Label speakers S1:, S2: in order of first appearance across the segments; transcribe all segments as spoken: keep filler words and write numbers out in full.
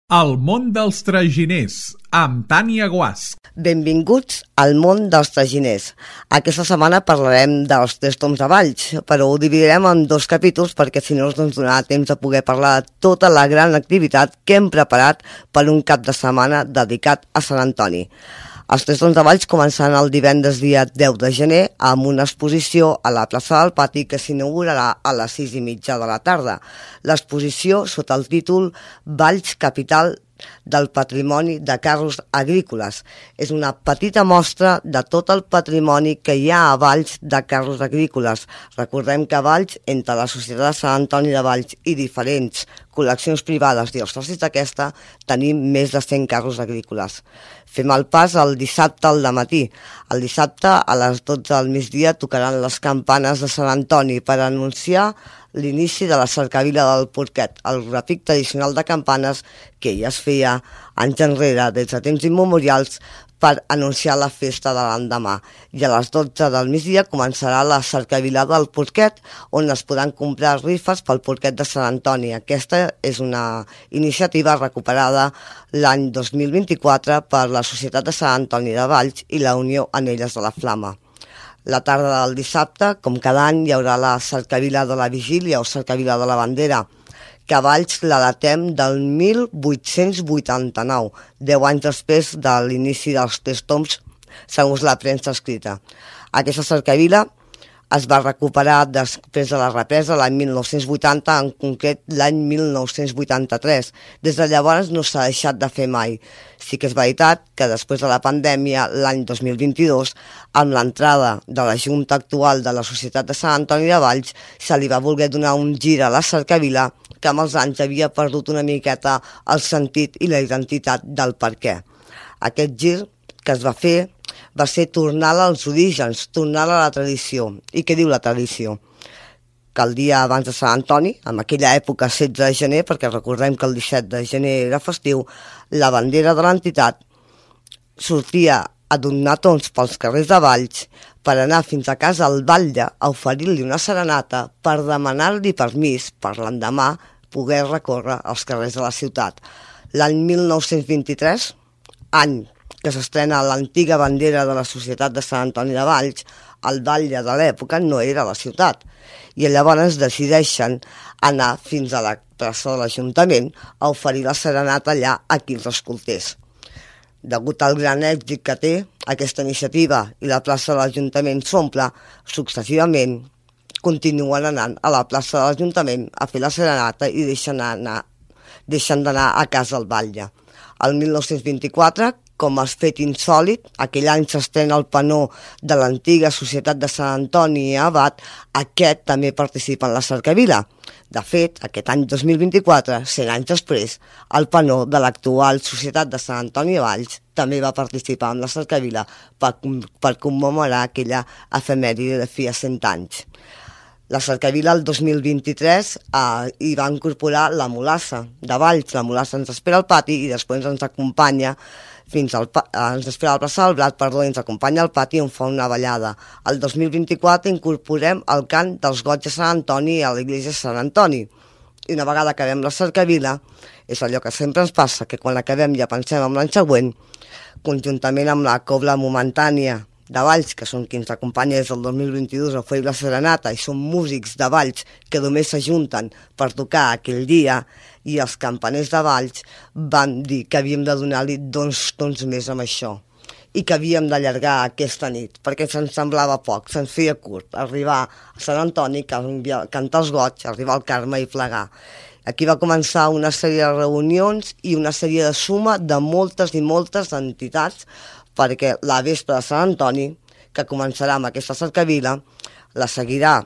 S1: El món dels traginers, amb Tània Guasch.
S2: Benvinguts al món dels traginers. Aquesta setmana parlarem dels tres tombs de Valls, però ho dividirem en dos capítols perquè si no ens donarà temps de poder parlar de tota la gran activitat que hem preparat per un cap de setmana dedicat a Sant Antoni. Els tres tombs de Valls començaran el divendres dia deu de gener amb una exposició a la plaça del Pati que s'inaugurarà a les sis i mitja de la tarda. L'exposició sota el títol Valls, capital del patrimoni de carros agrícoles. És una petita mostra de tot el patrimoni que hi ha a Valls de carros agrícoles. Recordem que a Valls, entre la Societat de Sant Antoni de Valls i diferents col·leccions privades i els socis d'aquesta, tenim més de cent carros agrícoles. Fem el pas el dissabte al dematí. El dissabte a les dotze del migdia tocaran les campanes de Sant Antoni per anunciar l'inici de la cercavila del Porquet, el repic tradicional de campanes que ja es feia anys enrere des de temps immemorials per anunciar la festa de l'endemà. I a les dotze del migdia començarà la cercavila del Porquet, on es podran comprar rifes pel Porquet de Sant Antoni. Aquesta és una iniciativa recuperada l'any dos mil vint-i-quatre per la Societat de Sant Antoni de Valls i la Unió Anelles de la Flama. La tarda del dissabte, com cada any, hi haurà la cercavila de la Vigília o cercavila de la Bandera, que a Valls la datem del mil vuit-cents vuitanta-nou, deu anys després de l'inici dels tres tombs, segons la premsa escrita. Aquesta cercavila es va recuperar després de la represa l'any mil nou-cents vuitanta, en concret l'any mil nou-cents vuitanta-tres. Des de llavors no s'ha deixat de fer mai. Sí que és veritat que després de la pandèmia, l'any dos mil vint-i-dos, amb l'entrada de la Junta actual de la Societat de Sant Antoni de Valls, se li va voler donar un gir a la cercavila que amb els anys havia perdut una miqueta el sentit i la identitat del per què. Aquest gir que es va fer va ser tornar als orígens, tornar a la tradició. I què diu la tradició? Que el dia abans de Sant Antoni, en aquella època setze de gener, perquè recordem que el disset de gener era festiu, la bandera de l'entitat sortia a donar tons pels carrers de Valls per anar fins a casa al batlle a oferir-li una serenata per demanar-li permís per l'endemà poder recórrer els carrers de la ciutat. L'any mil nou-cents vint-i-tres, any que s'estrena l'antiga bandera de la Societat de Sant Antoni de Valls, el batlle de l'època no era a la ciutat. I llavors decideixen anar fins a la plaça de l'Ajuntament a oferir la serenata allà a qui els escoltés. Degut al gran èxit que té aquesta iniciativa i la plaça de l'Ajuntament s'omple, successivament continuen anant a la plaça de l'Ajuntament a fer la serenata i deixen anar, deixen d'anar a casa al batlle. El mil nou-cents vint-i-quatre, com a fet insòlit, aquell any s'estrena el panó de l'antiga Societat de Sant Antoni i Abat, aquest també participa en la cercavila. De fet, aquest any dos mil vint-i-quatre, cent anys després, el panó de l'actual Societat de Sant Antoni de Valls també va participar en la cercavila per, per commemorar aquella efemèride de fi a cent anys. La cercavila el dos mil vint-i-tres eh, hi va incorporar la mulassa de Valls. La mulassa ens espera al pati i després ens acompanya fins al pa eh, ens espera a la plaça del Blat, perdó, i ens acompanya al pati on fa una ballada. El dos mil vint-i-quatre incorporem el cant dels goigs de Sant Antoni a l'església de Sant Antoni. I una vegada acabem la cercavila, és allò que sempre ens passa, que quan acabem ja pensem en l'any següent, conjuntament amb la cobla momentània de Valls, que són qui ens acompanya des del dos mil vint-i-dos a oferir la serenata, i són músics de Valls que només s'ajunten per tocar aquell dia, i els campaners de Valls van dir que havíem de donar-li dos tons més amb això i que havíem d'allargar aquesta nit, perquè se'ns semblava poc, se'ns feia curt, arribar a Sant Antoni, cantar els goigs, arribar al Carme i plegar. Aquí va començar una sèrie de reunions i una sèrie de suma de moltes i moltes entitats, perquè la vespre de Sant Antoni, que començarà amb aquesta cercavila, la seguirà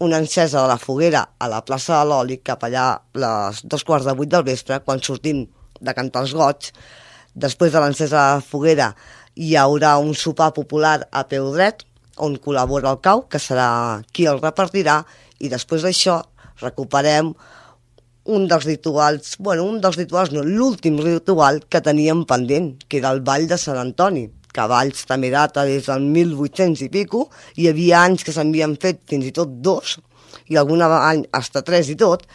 S2: una encesa de la foguera a la plaça de l'Oli, cap allà a les dos quarts de vuit del vespre, quan sortim de cantar els goigs. Després de l'encesa de la foguera hi haurà un sopar popular a peu dret, on col·labora el cau, que serà qui el repartirà, i després d'això recuperem un dels rituals, bueno, un dels rituals no, l'últim ritual que teníem pendent, que era el ball de Sant Antoni, que a Valls també data des del mil vuit-cents i pico, hi havia anys que s'havien fet fins i tot dos, i algun any hasta tres i tot,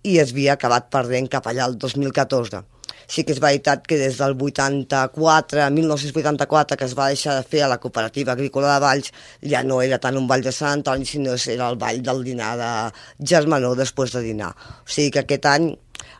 S2: i es havia acabat perdent cap allà el dos mil catorze. Sí que és veritat que des del vuitanta-quatre, mil nou-cents vuitanta-quatre, que es va deixar de fer a la Cooperativa Agrícola de Valls, ja no era tant un ball de Sant Antoni, sinó que era el ball del dinar de germanor després de dinar. O sigui que aquest any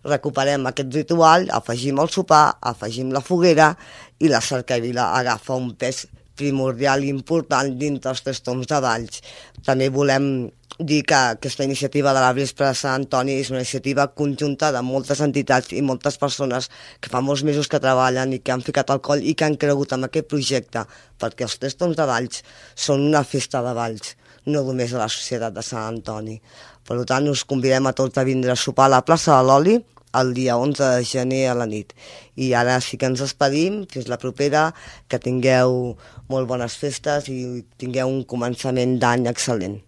S2: recuperem aquest ritual, afegim el sopar, afegim la foguera i la cercavila agafa un pes primordial i important dintre els tres tombs de Valls. També volem dir que aquesta iniciativa de la Vespra de Sant Antoni és una iniciativa conjunta de moltes entitats i moltes persones que fa molts mesos que treballen i que han ficat el coll i que han cregut en aquest projecte, perquè els tres tombs de Valls són una festa de Valls, no només de la societat de Sant Antoni. Per tant, us convidem a tots a vindre a sopar a la plaça de l'Oli el dia onze de gener a la nit. I ara sí que ens despedim, fins la propera, que tingueu molt bones festes i tingueu un començament d'any excel·lent.